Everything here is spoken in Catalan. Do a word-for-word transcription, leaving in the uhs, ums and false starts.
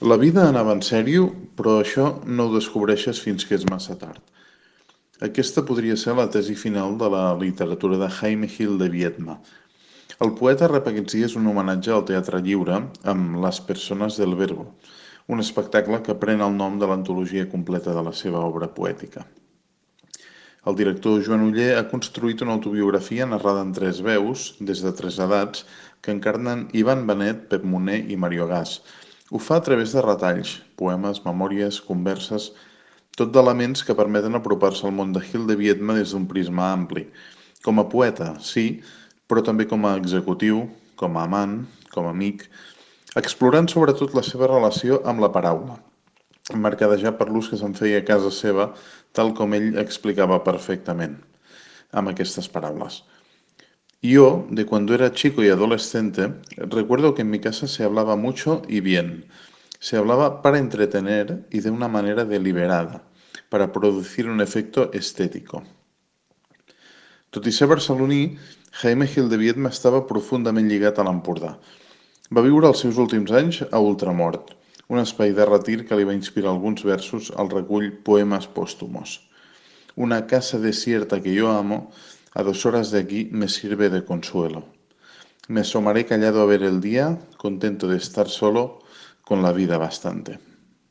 La vida anava en sèrio, però això no ho descobreixes fins que és massa tard. Aquesta podria ser la tesi final de la literatura de Jaime Gil de Biedma. El poeta rep aquests dies un homenatge al teatre lliure amb Les persones del verbo, un espectacle que pren el nom de l'antologia completa de la seva obra poètica. El director Joan Oller ha construït una autobiografia narrada en tres veus, des de tres edats, que encarnen Ivan Benet, Pep Moner i Mario Gas. Ho fa a través de retalls, poemes, memòries, converses, tot d'elements que permeten apropar-se al món de Gil de Biedma des d'un prisma ampli. Com a poeta, sí, però també com a executiu, com a amant, com a amic, explorant sobretot la seva relació amb la paraula, mercadejar per l'ús que se'n feia a casa seva, tal com ell explicava perfectament, amb aquestes paraules. Yo, de cuando era chico y adolescente, recuerdo que en mi casa se hablaba mucho y bien. Se hablaba para entretener y de una manera deliberada, para producir un efecto estético. Tot i ser barceloní, Jaime Gil de Biedma estava profundament lligat a l'Empordà. Va viure els seus últims anys a Ultramort, un espai de retir que li va inspirar alguns versos al recull Poemes Póstumos. Una casa desierta que yo amo, a dos horas de aquí me sirve de consuelo. Me asomaré callado a ver el día, contento de estar solo, con la vida bastante.